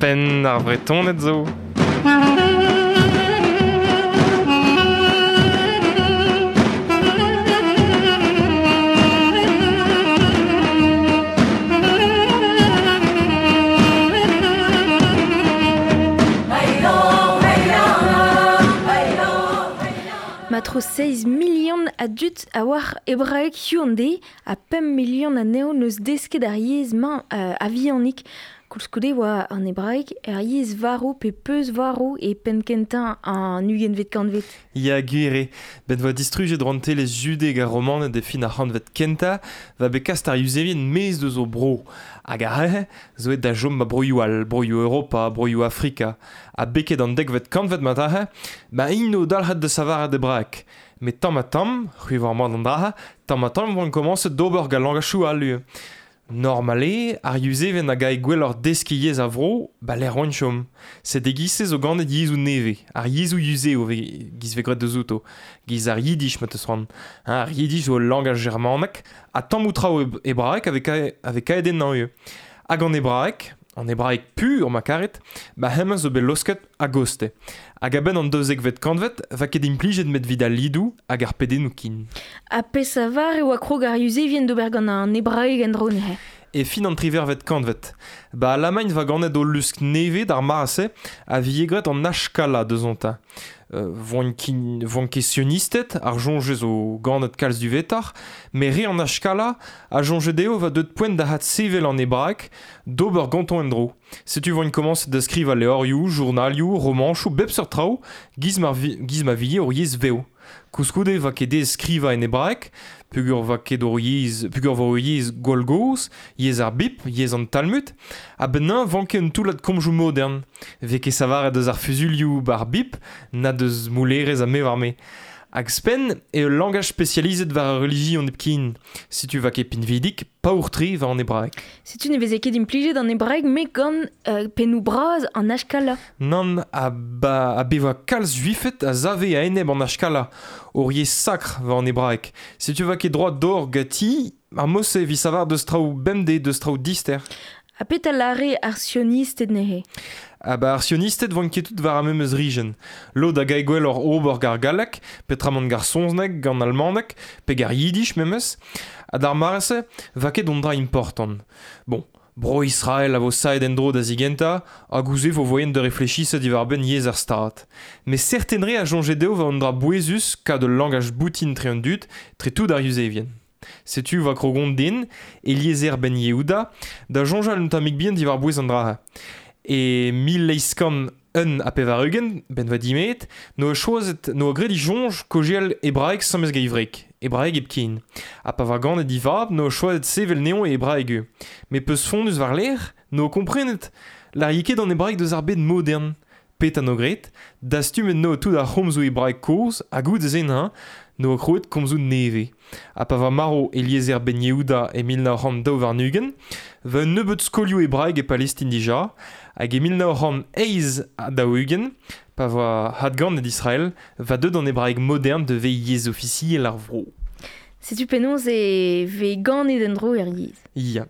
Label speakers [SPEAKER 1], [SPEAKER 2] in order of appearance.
[SPEAKER 1] Penn ar Vretoned zo.
[SPEAKER 2] Ma tro 6 milion a dud a oar hebraeg hiziv an deiz ha 5 milion anezho n'eus desket ar yezh-mañ a-vihanik. Koulskoude oa an hebraeg ur yezh varv pe peuzvarv e penn-kentañ an ugentvet kantved.
[SPEAKER 1] Ya, gwir eo. Bet 'voa distrujet rouantelezh Judeg ar Romaned e fin ar c'hantved kentañ, 'va bet kast ar Yuzevien maez deus o bro. Hag ar re zo aet da chom 'ba broioù all, broioù Europa, broioù Afrika. Ha beket an dekvet kantved mat aze, ba int o dalc'het da savaret hebraeg. Met tamm-ha-tamm, c'hwi 'oar mat an dra-se, tamm-ha-tamm 'voant komañset d'ober gant langachou all ivez. Normal eo, ar Yuzevien a gae gwelloc'h deskiñ yezh ar vro, ba lec'h 'oant chom. Sed e-giz-se zo ganet yezhoù nevez, ar yezhoù yuzev 'giz 'vez graet deus outo, 'giz ar yiddish ma 'teus c'hoant. Hein, ar yiddish zo ul langaj germanek ha tammoù traoù hebraek a vez kaet ennañ ivez. Hag an hebraeg, an hebraeg pur ma karit, ba hemañ zo bet laosket a-gostez. Hag a-benn an daouzekvet kantved 'va ket implijet 'met 'vit al lidoù hag ar pedennoù kin.
[SPEAKER 2] Ha peseurt e oa krog ar Yuzevien d'ober gant an hebraeg en-dro neuze?
[SPEAKER 1] E fin an triwec'hvet kantved. Ba Alamagn 'va ganet o lusk nevez d'ar mare-se a vije graet an Ashkala deusontañ. Voant ket sionisted, ar soñj zo ganet kalz duvetoc'h, met re an Ashkala a soñje dezho 'va deuet poent da adsevel an hebraeg d'ober gantañ en-dro. Setu 'voint komañset da skrivañ levrioù, journalioù, romanchoù, bep seurt traoù, giz ma giz ma vije ur yezh vev. Koulskoude 'va ket aes skrivañ en hebraeg, peogwir 'va ket hor yezh, peogwir 'vo ur yezh gwall-gozh, yezh ar Bibl, yezh an Talmud, a-benn neuze 'vanke un toullad komzoù modern. 'Vez ket savaret deus ar fuzuilhoù 'ba ar Bibl, na deus moulerezh ha me 'oar-me. Hag ouzhpenn eo ul langaj spesializet war ar relijion hepken. Setu 'va ket pinvidik, paour-tre war an hebraeg.
[SPEAKER 2] Setu ne veze ket implijet an hebraeg met gant pennoù bras an Ashkala.
[SPEAKER 1] Nann, ha ba ha bevañ kalz juifed a save a-enep an Ashkala, ur yezh sakr war an hebraeg. Setu 'va ket droad d'ober ganti ar mod-se evit savar deus traoù bemdez, deus traoù dister.
[SPEAKER 2] Ha petra 'lâre ar sionisted neuze?
[SPEAKER 1] Ha ba ar sionisted 'voant ket tout war ar memes rijenn. Lod a gae gwelloc'h ober gant ar galleg, petramant gant ar saozneg, gant an almaneg, pe gant ar yiddish memes. Ha d'ar mare-se 'va ket un dra important. Bon, Bro-Israel a vo saet en-dro da zigentañ, hag ouzh se 'vo voaien da reflechisañ diwar-benn yezh ar Stad. Met serten re a soñje dezho 'va un dra bouezus kad ul langaj boutin tre an dud, tre tout ar Yuzevien. Setu va krogon den, Eliezer Ben Yehuda, da soñjal un tammig bihan diwar-bouez an dra-se. E 1881, 'benn va dimeet, 'noa choazet, 'noa graet e soñj kaozeal hebraeg sames gant e wreg, hebraeg hepken. Ha pa oa ganet e vab, 'noa choazet sevel anezhañ e hebraeg ivez. Met peuzfonnus war-lerc'h, 'noa komprenet 'lârie ket an hebraeg deus ar bed modern. Petra 'no graet? Dastumet 'no tout ar c'homzoù hebraek kozh ha goude-se neuze 'noa krouet komzoù nevez. Ha pa oa marv Eliezer Ben Yehuda e 1922, 'va un nebeud skolioù hebraek e Palestin dija, hag e 1948, pa oa adganet Israel, 'va deuet an hebraeg modern da vezañ yezh ofisiel ar vro.
[SPEAKER 2] Setu penaos e vez ganet en-dro er yezh.
[SPEAKER 1] Ya.